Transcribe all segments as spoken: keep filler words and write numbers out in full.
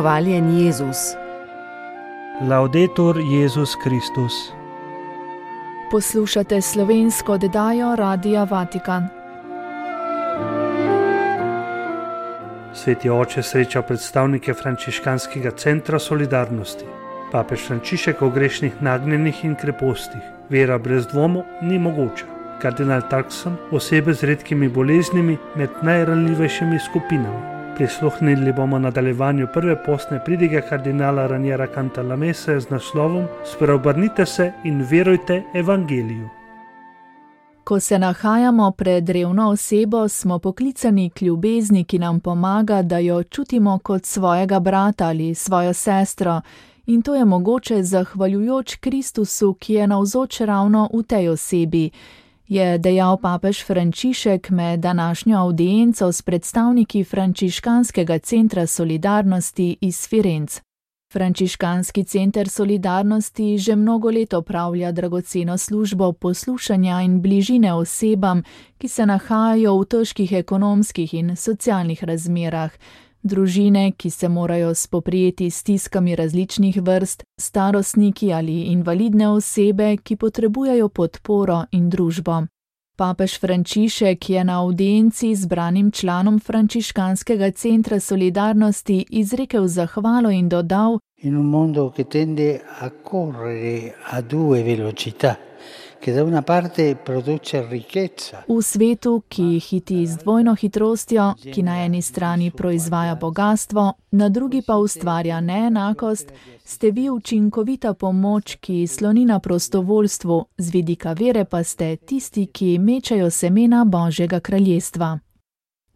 Hvaljen Jezus. Laudetur Jezus Kristus. Poslušate slovensko oddajo Radia Vatikan. Sveti oče sreča predstavnike frančiškanskega centra solidarnosti. Papež Frančišek o grešnih nagnjenih in krepostih. Vera brez dvomov ni mogoča. Kardinal Turkson, osebe z redkimi boleznimi med najranljivejšimi skupinami. Prisluhnili bomo nadaljevanju prve postne pridige kardinala Raniera Cantalamesse z naslovom Spreobrnite se in verujte evangeliju. Ko se nahajamo pred revno osebo, smo poklicani k ljubezni, ki nam pomaga, da jo čutimo kot svojega brata ali svojo sestro, in to je mogoče zahvaljujoč Kristusu, ki je navzoč ravno v tej osebi, je dejal papež Frančišek med današnjo avdienco s predstavniki frančiškanskega centra solidarnosti iz Firenc. Frančiškanski center solidarnosti že mnogo let opravlja dragoceno službo poslušanja in bližine osebam, ki se nahajajo v težkih ekonomskih in socialnih razmerah, družine, ki se morajo spoprijeti s stiskami različnih vrst, starostniki ali invalidne osebe, ki potrebujejo podporo in družbo. Papež Frančišek je na avdienci zbranim članom frančiškanskega centra solidarnosti izrekel zahvalo in dodal: In un mondo che tende a correre a due velocità, che da una parte produce ricchezza. V svetu, ki hiti z dvojno hitrostjo, ki na eni strani proizvaja bogatstvo, na drugi pa ustvarja neenakost, ste vi učinkovita pomoč, ki sloni na prostovoljstvu, z vidika vere pa ste tisti, ki mečejo semena Božjega kraljestva.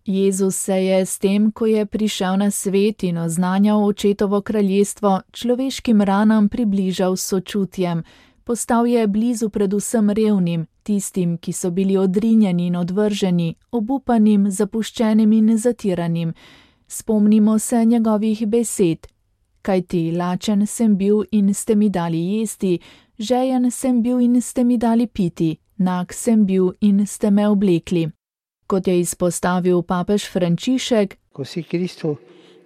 Jezus se je s tem, ko je prišel na svet in oznanjal očetovo kraljestvo, človeškim ranam približal s sočutjem. Postal je blizu predvsem revnim, tistim, ki so bili odrinjeni in odvrženi, obupanim, zapuščenim in zatiranim. Spomnimo se njegovih besed: kajti lačen sem bil in ste mi dali jesti, žejen sem bil in ste mi dali piti, nag sem bil in ste me oblekli. Kot je izpostavil papež Frančišek, Così Cristo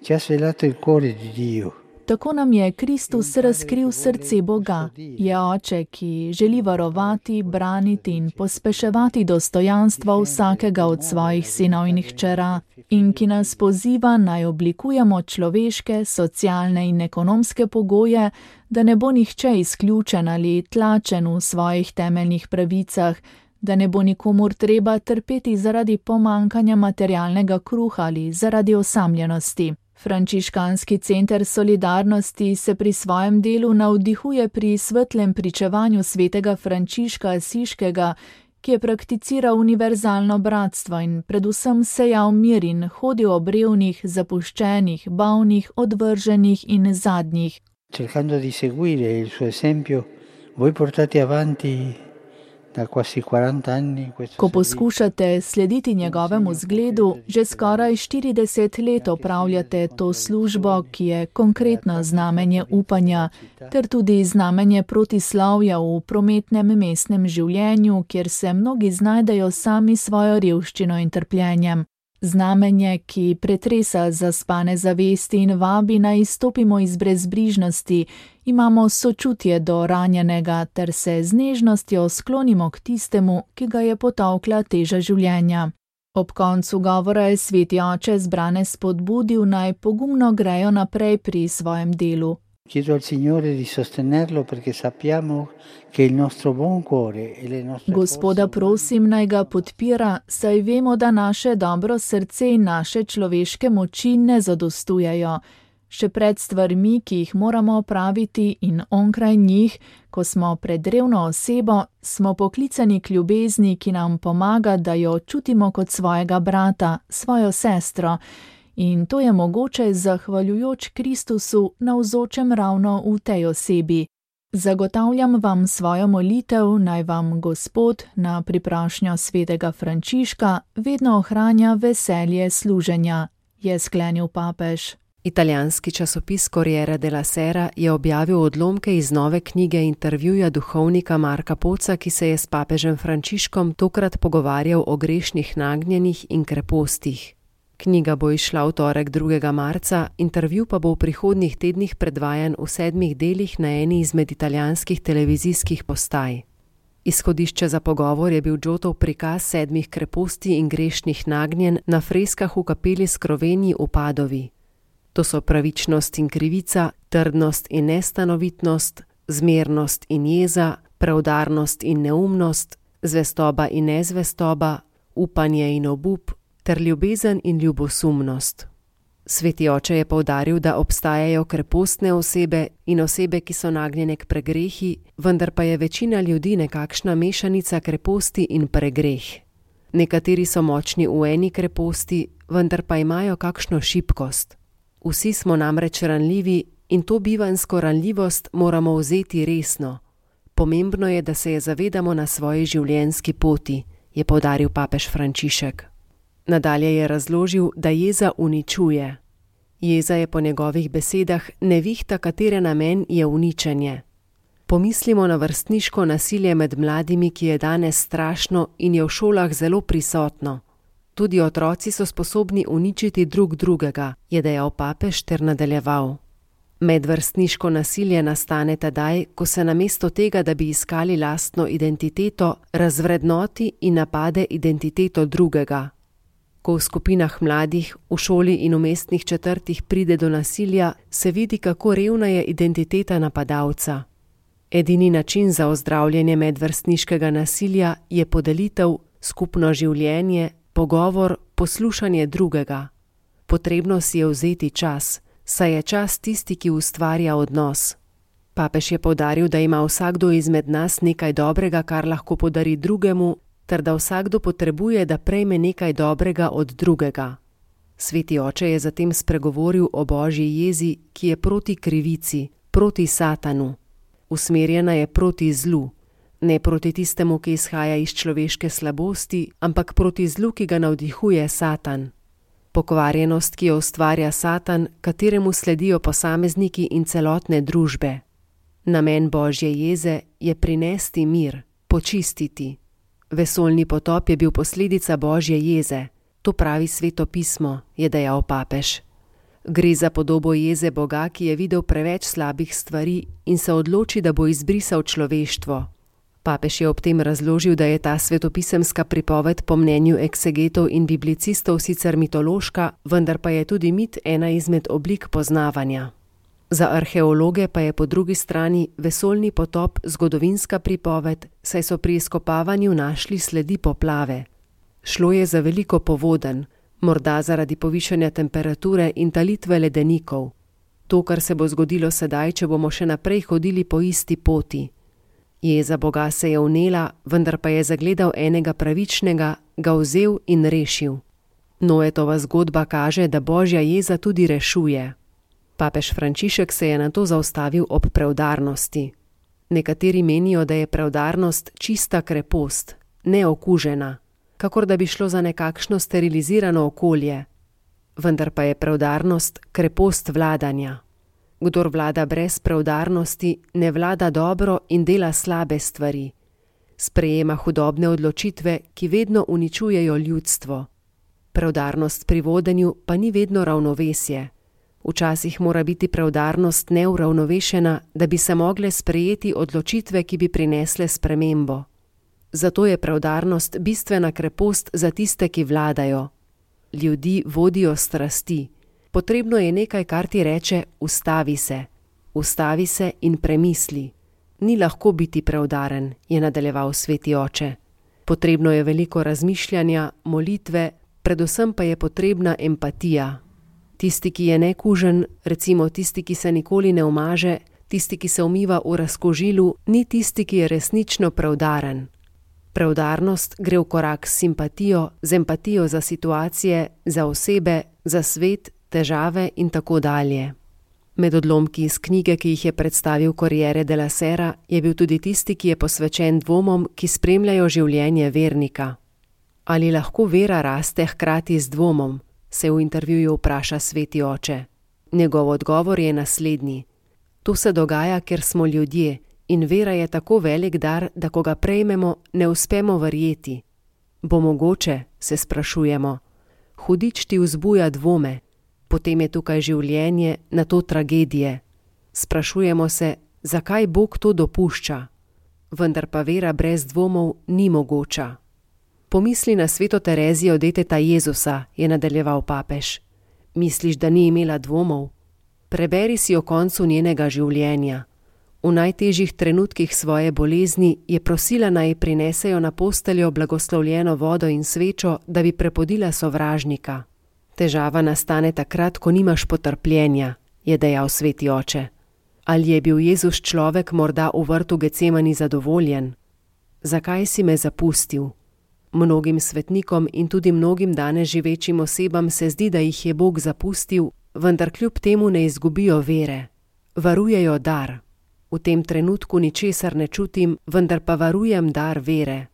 ci ha svelato il cuore di Dio. Tako nam je Kristus razkril srce Boga, je oče, ki želi varovati, braniti in pospeševati dostojanstvo vsakega od svojih sinov in hčera in ki nas poziva naj oblikujemo človeške, socialne in ekonomske pogoje, da ne bo nihče izključen ali tlačen v svojih temeljnih pravicah, da ne bo nikomur treba trpeti zaradi pomankanja materialnega kruha ali zaradi osamljenosti. Frančiškanski center solidarnosti se pri svojem delu navdihuje pri svetlem pričevanju svetega Frančiška Asiškega, ki je prakticiral univerzalno bratstvo in predvsem sejal mir in hodil ob revnih, zapuščenih, bolnih, odvrženih in zadnjih. Cercando di seguire il suo esempio, voi portate avanti da quasi quaranta anni questo. Ko poskušate slediti njegovemu zgledu, že skoraj štirideset let opravljate to službo, ki je konkretno znamenje upanja, ter tudi znamenje protislovja v prometnem mestnem življenju, kjer se mnogi znajdejo sami svojo revščino in trpljenjem. Znamenje, ki pretresa zaspane zavesti in vabi naj izstopimo iz brezbrižnosti, imamo sočutje do ranjenega ter se z nežnostjo sklonimo k tistemu, ki ga je potolkla teža življenja. Ob koncu govora je sveti oče zbrane spodbudil, naj pogumno grejo naprej pri svojem delu. Chiedo al Signore di sostenerlo perché sappiamo che il nostro buon cuore e le nostre Gospoda prosim, naj ga podpira, saj vemo, da naše dobro srce in naše človeške moči ne zadostujejo. Še pred stvarmi, ki jih moramo opraviti in onkraj njih, ko smo pred revno osebo, smo poklicani k ljubezni, ki nam pomaga, da jo čutimo kot svojega brata, svojo sestro. In to je mogoče zahvaljujoč Kristusu navzočem ravno v tej osebi. Zagotavljam vam svojo molitev, naj vam Gospod na priprošnjo svetega Frančiška vedno ohranja veselje služenja, je sklenil papež. Italijanski časopis Corriere della Sera je objavil odlomke iz nove knjige intervjuja duhovnika Marka Poca, ki se je s papežem Frančiškom tokrat pogovarjal o grešnih nagnjenih in krepostih. Knjiga bo izšla v torek drugega marca, intervju pa bo v prihodnjih tednih predvajan v sedmih delih na eni izmed italijanskih televizijskih postaj. Izhodišče za pogovor je bil Giotov prikaz sedmih kreposti in grešnih nagnjenj na freskah v kapeli Skroveni v Padovi. To so pravičnost in krivica, trdnost in nestanovitnost, zmernost in jeza, preudarnost in neumnost, zvestoba in nezvestoba, upanje in obup, ter ljubezen in ljubosumnost. Sveti oče je poudaril, da obstajajo krepostne osebe in osebe, ki so nagnjene k pregrehi, vendar pa je večina ljudi nekakšna mešanica kreposti in pregreh. Nekateri so močni v eni kreposti, vendar pa imajo kakšno šibkost. Vsi smo namreč ranljivi in to bivanjsko ranljivost moramo vzeti resno. Pomembno je, da se je zavedamo na svoji življenjski poti, je poudaril papež Frančišek. Nadalje je razložil, da jeza uničuje. Jeza je po njegovih besedah nevihta, katere namen je uničenje. Pomislimo na vrstniško nasilje med mladimi, ki je danes strašno in je v šolah zelo prisotno. Tudi otroci so sposobni uničiti drug drugega, je dejal papež ter nadaljeval. Medvrstniško nasilje nastane tedaj, ko se namesto tega, da bi iskali lastno identiteto, razvrednoti in napade identiteto drugega. Ko v skupinah mladih, v šoli in v mestnih četrtih pride do nasilja, se vidi, kako revna je identiteta napadalca. Edini način za ozdravljanje medvrstniškega nasilja je podelitev, skupno življenje, pogovor, poslušanje drugega. Potrebno si je vzeti čas, saj je čas tisti, ki ustvarja odnos. Papež je poudaril, da ima vsakdo izmed nas nekaj dobrega, kar lahko podari drugemu, ter da vsakdo potrebuje, da prejme nekaj dobrega od drugega. Sveti oče je zatem spregovoril o Božji jezi, ki je proti krivici, proti Satanu. Usmerjena je proti zlu, ne proti tistemu, ki izhaja iz človeške slabosti, ampak proti zlu, ki ga navdihuje Satan. Pokvarjenost, ki jo ustvarja Satan, kateremu sledijo posamezniki in celotne družbe. Namen Božje jeze je prinesti mir, počistiti. Vesoljni potop je bil posledica Božje jeze, to pravi Sveto pismo, je dejal papež. Gre za podobo jeze Boga, ki je videl preveč slabih stvari in se odloči, da bo izbrisal človeštvo. Papež je ob tem razložil, da je ta svetopisemska pripoved po mnenju eksegetov in biblicistov sicer mitološka, vendar pa je tudi mit ena izmed oblik poznavanja. Za arheologe pa je po drugi strani vesoljni potop zgodovinska pripoved, saj so pri izkopavanju našli sledi poplave. Šlo je za veliko povodenj, morda zaradi povišanja temperature in talitve ledenikov. To, kar se bo zgodilo sedaj, če bomo še naprej hodili po isti poti. Jeza Boga se je vnela, vendar pa je zagledal enega pravičnega, ga vzel in rešil. Noetova zgodba kaže, da Božja jeza tudi rešuje. Papež Frančišek se je nato zaustavil ob preudarnosti. Nekateri menijo, da je preudarnost čista krepost, neokužena, kakor da bi šlo za nekakšno sterilizirano okolje. Vendar pa je preudarnost krepost vladanja. Kdor vlada brez preudarnosti, ne vlada dobro in dela slabe stvari. Sprejema hudobne odločitve, ki vedno uničujejo ljudstvo. Preudarnost pri vodenju pa ni vedno ravnovesje. Včasih mora biti preudarnost neuravnovešena, da bi se mogle sprejeti odločitve, ki bi prinesle spremembo. Zato je preudarnost bistvena krepost za tiste, ki vladajo. Ljudi vodijo strasti. Potrebno je nekaj, kar ti reče, ustavi se. Ustavi se in premisli. Ni lahko biti preudaren, je nadaljeval Sveti oče. Potrebno je veliko razmišljanja, molitve, predvsem pa je potrebna empatija. Tisti, ki je nekužen, recimo tisti, ki se nikoli ne umaže, tisti, ki se umiva v razkožilu, ni tisti, ki je resnično preudaren. Preudarnost gre v korak s simpatijo, z empatijo za situacije, za osebe, za svet, težave in tako dalje. Med odlomki iz knjige, ki jih je predstavil Corriere della Sera, je bil tudi tisti, ki je posvečen dvomom, ki spremljajo življenje vernika. Ali lahko vera raste hkrati z dvomom, se v intervjuju vpraša Sveti oče. Njegov odgovor je naslednji. To se dogaja, ker smo ljudje in vera je tako velik dar, da ko ga prejmemo, ne uspemo verjeti. Bo mogoče, se sprašujemo. Hudič ti vzbuja dvome, potem je tukaj življenje, nato tragedije. Sprašujemo se, zakaj Bog to dopušča, vendar pa vera brez dvomov ni mogoča. Pomisli na sveto Terezijo deteta Jezusa, je nadaljeval papež. Misliš, da ni imela dvomov? Preberi si o koncu njenega življenja. V najtežjih trenutkih svoje bolezni je prosila, naj prinesejo na posteljo blagoslovljeno vodo in svečo, da bi prepodila sovražnika. Težava nastane takrat, ko nimaš potrpljenja, je dejal sveti oče. Ali je bil Jezus človek morda v vrtu Getsemani zadovoljen? Zakaj si me zapustil? Mnogim svetnikom in tudi mnogim danes živečim osebam se zdi, da jih je Bog zapustil, vendar kljub temu ne izgubijo vere. Varujejo dar. V tem trenutku ničesar ne čutim, vendar pa varujem dar vere.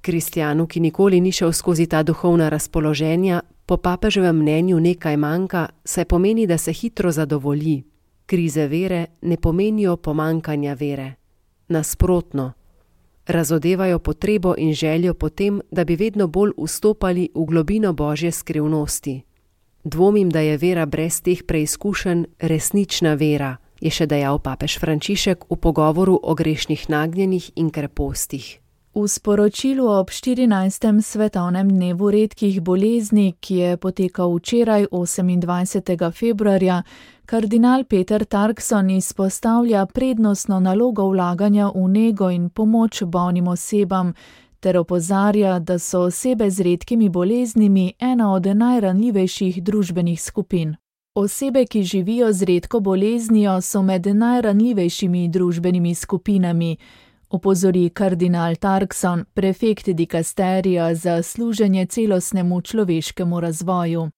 Kristjanu, ki nikoli ni šel skozi ta duhovna razpoloženja, po papeževem mnenju nekaj manjka, saj pomeni, da se hitro zadovolji. Krize vere ne pomenijo pomankanja vere. Nasprotno, razodevajo potrebo in željo potem, da bi vedno bolj vstopali v globino Božje skrivnosti. Dvomim, da je vera brez teh preizkušenj resnična vera, je še dejal papež Frančišek v pogovoru o grešnih nagnjenih in krepostih. V sporočilu ob štirinajstem svetovnem dnevu redkih bolezni, ki je potekal včeraj osemindvajsetega februarja, kardinal Peter Turkson izpostavlja prednostno nalogo vlaganja v nego in pomoč bolnim osebam, ter opozarja, da so osebe z redkimi boleznimi ena od najranljivejših družbenih skupin. Osebe, ki živijo z redko boleznijo, so med najranljivejšimi družbenimi skupinami, opozori kardinal Turkson, prefekt dikasterija za služenje celostnemu človeškemu razvoju.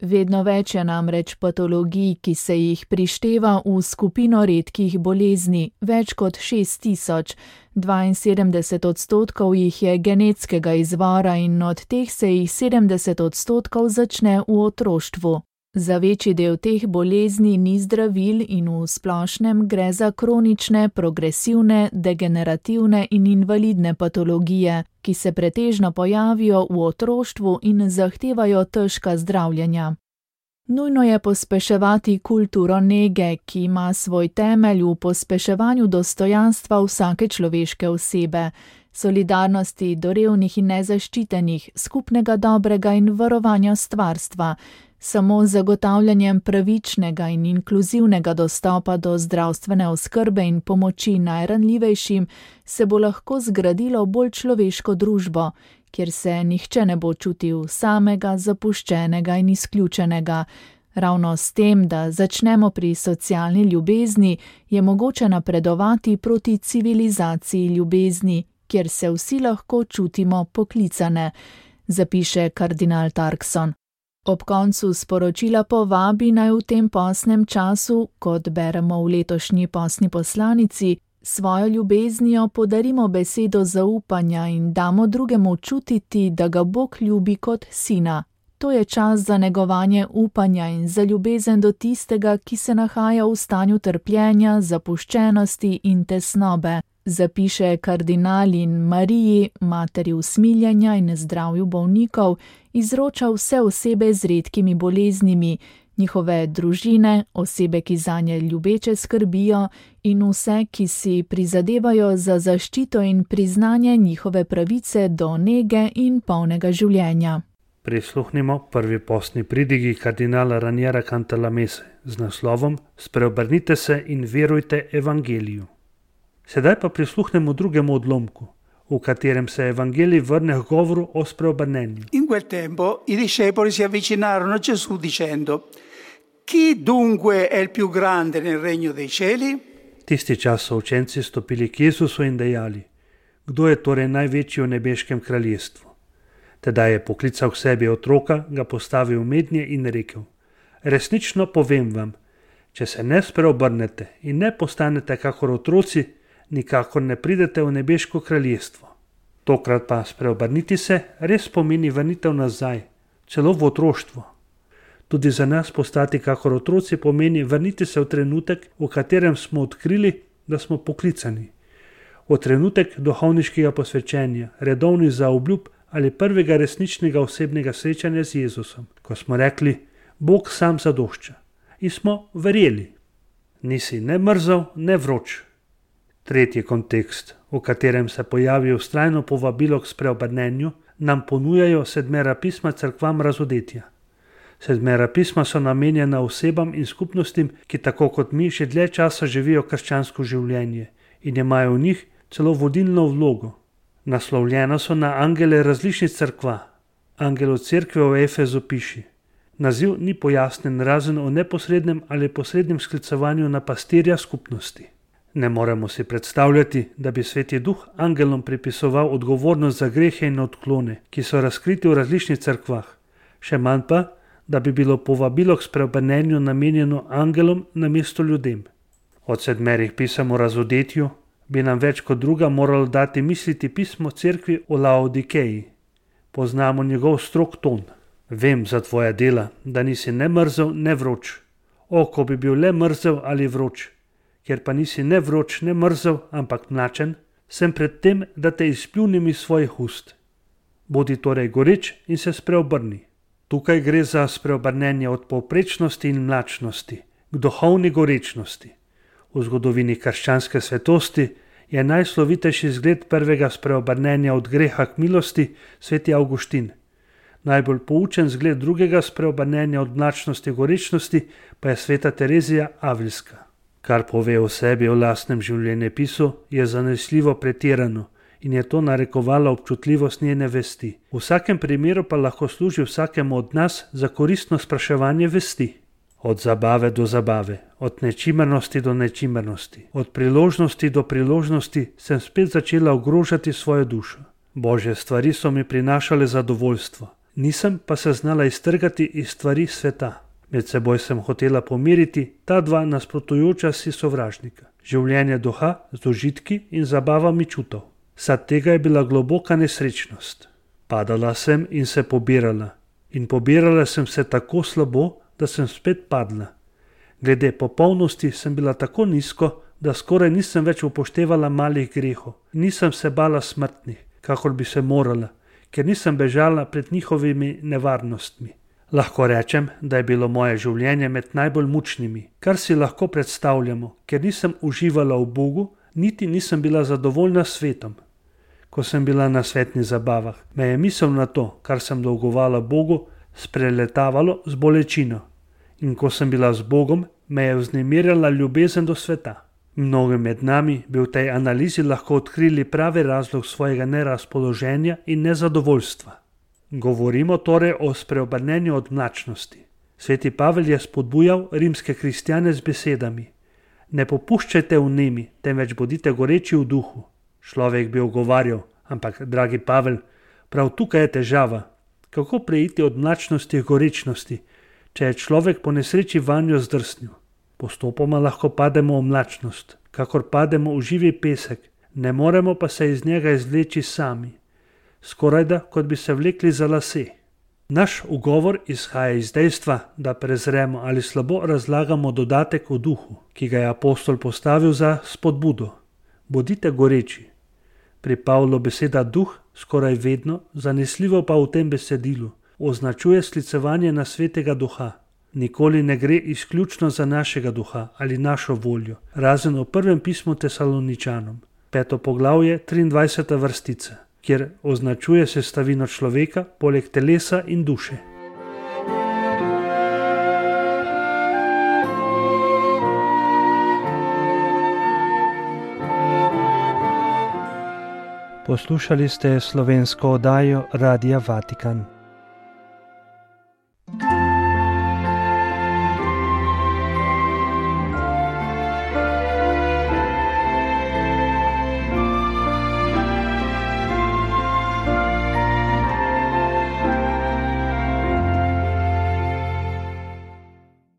Vedno več je namreč patologij, ki se jih prišteva v skupino redkih bolezni, več kot šest tisoč, dvainsedemdeset odstotkov jih je genetskega izvora in od teh se jih sedemdeset odstotkov začne v otroštvu. Za večji del teh bolezni ni zdravil in v splošnem gre za kronične, progresivne, degenerativne in invalidne patologije, ki se pretežno pojavijo v otroštvu in zahtevajo težka zdravljenja. Nujno je pospeševati kulturo nege, ki ima svoj temelj v pospeševanju dostojanstva vsake človeške osebe, solidarnosti do revnih in nezaščitenih, skupnega dobrega in varovanja stvarstva. Samo z zagotavljanjem pravičnega in inkluzivnega dostopa do zdravstvene oskrbe in pomoči najranljivejšim se bo lahko zgradilo bolj človeško družbo, kjer se nihče ne bo čutil samega, zapuščenega in izključenega. Ravno s tem, da začnemo pri socialni ljubezni, je mogoče napredovati proti civilizaciji ljubezni, kjer se vsi lahko čutimo poklicane, zapiše kardinal Turkson. Ob koncu sporočila povabi naj v tem postnem času, kot beremo v letošnji postni poslanici, svojo ljubeznijo podarimo besedo zaupanja in damo drugemu čutiti, da ga Bog ljubi kot sina. To je čas za negovanje upanja in za ljubezen do tistega, ki se nahaja v stanju trpljenja, zapuščenosti in tesnobe, zapiše kardinal in Mariji, materi usmiljenja in zdravju bolnikov, izroča vse osebe z redkimi boleznimi, njihove družine, osebe, ki zanje ljubeče skrbijo in vse, ki si prizadevajo za zaščito in priznanje njihove pravice do nege in polnega življenja. Prisluhnimo prvi postni pridigi kardinala Raniera Cantalamesse z naslovom Spreobrnite se in verujte evangeliju. Sedaj pa prisluhnemo drugemu odlomku, v katerem se evangelij vrne k govoru o spreobrnenju. In quel tempo i discepoli si avvicinarono a Gesù dicendo: Chi dunque è il più grande nel regno dei cieli? Tisti čas so učenci stopili k Jezusu in dejali: Kdo je torej največji v nebeškem kraljestvu? Tedaj je poklical k sebi otroka, ga postavil v mednje in rekel: Resnično povem vam, če se ne spreobrnete in ne postanete kakor otroci, nikakor ne pridete v nebeško kraljestvo. Tokrat pa spreobrniti se res pomeni vrnitev nazaj, celo v otroštvo. Tudi za nas postati kakor otroci pomeni vrniti se v trenutek, v katerem smo odkrili, da smo poklicani. V trenutek duhovniškega posvečenja, redovnih zaobljub ali prvega resničnega osebnega srečanja z Jezusom, ko smo rekli, Bog sam zadošča. In smo verjeli. Nisi ne mrzel, ne vroč. Tretji kontekst, v katerem se pojavi vztrajno povabilo k spreobrnenju, nam ponujajo sedmera pisma cerkvam razodetja. Sedmera pisma so namenjena osebam in skupnostim, ki tako kot mi že dlje časa živijo krščansko življenje in imajo v njih celo vodilno vlogo. Naslovljena so na angele različnih cerkva. Angel od cerkve v Efezu piši. Naziv ni pojasnen razen o neposrednem ali posrednem sklicevanju na pastirja skupnosti. Ne moremo si predstavljati, da bi Sveti Duh angelom pripisoval odgovornost za grehe in odklone, ki so razkriti v različnih cerkvah, še manj pa, da bi bilo povabilo k spreobrnenju namenjeno angelom namesto ljudem. Od sedmerih pisem o razodetju bi nam več kot druga moralo dati misliti pismo cerkvi o Laodikeji. Poznamo njegov strog ton. Vem za tvoja dela, da nisi ne mrzel, ne vroč. O, ko bi bil le mrzel ali vroč. Ker pa nisi ne vroč, ne mrzel, ampak mlačen, sem pred tem, da te izpljunim iz svojih ust. Bodi torej goreč in se spreobrni. Tukaj gre za spreobrnenje od povprečnosti in mlačnosti k duhovni gorečnosti. V zgodovini krščanske svetosti je najslovitejši zgled prvega spreobrnenja od greha k milosti sveti Avguštin. Najbolj poučen zgled drugega spreobrnenja od mlačnosti k gorečnosti pa je sveta Terezija Avilska. Kar pove o sebi o lastnem življenjepisu, je zanesljivo pretirano in je to narekovalo občutljivost njene vesti. V vsakem primeru pa lahko služi vsakemu od nas za koristno spraševanje vesti. Od zabave do zabave, od nečimernosti do nečimernosti, od priložnosti do priložnosti sem spet začela ogrožati svojo dušo. Božje stvari so mi prinašale zadovoljstvo, nisem pa se znala iztrgati iz stvari sveta. Med seboj sem hotela pomiriti ta dva nasprotujoča si sovražnika. Življenje duha z užitki in zabavami čutov. Sad tega je bila globoka nesrečnost. Padala sem in se pobirala. In pobirala sem se tako slabo, da sem spet padla. Glede popolnosti sem bila tako nizko, da skoraj nisem več upoštevala malih grehov. Nisem se bala smrtnih, kakor bi se morala, ker nisem bežala pred njihovimi nevarnostmi. Lahko rečem, da je bilo moje življenje med najbolj mučnimi, kar si lahko predstavljamo, ker nisem uživala v Bogu, niti nisem bila zadovoljna s svetom. Ko sem bila na svetnih zabavah, me je misel na to, kar sem dolgovala Bogu, spreletavalo z bolečino. In ko sem bila z Bogom, me je vznemirjala ljubezen do sveta. Mnogi med nami bi v tej analizi lahko odkrili pravi razlog svojega nerazpoloženja in nezadovoljstva. Govorimo torej o spreobrnenju od mlačnosti. Sveti Pavel je spodbujal rimske kristjane z besedami: Ne popuščajte v nemi, temveč bodite goreči v duhu. Človek bi ogovarjal, ampak, dragi Pavel, prav tukaj je težava. Kako preiti od mlačnosti k gorečnosti, če je človek po nesreči vanjo zdrsnil? Postopoma lahko pademo v mlačnost, kakor pademo v živi pesek, ne moremo pa se iz njega izvleči sami. Skorajda, kot bi se vlekli za lase. Naš ugovor izhaja iz dejstva, da prezremo ali slabo razlagamo dodatek v duhu, ki ga je apostol postavil za spodbudo. Bodite goreči. Pri Pavlu beseda duh skoraj vedno, zanesljivo pa v tem besedilu, označuje sklicevanje na svetega duha. Nikoli ne gre izključno za našega duha ali našo voljo, razen v prvem pismu Tesaloničanom, peto poglavje, triindvajseta vrstica, kjer označuje sestavino človeka poleg telesa in duše. Poslušali ste slovensko oddajo Radia Vatikan.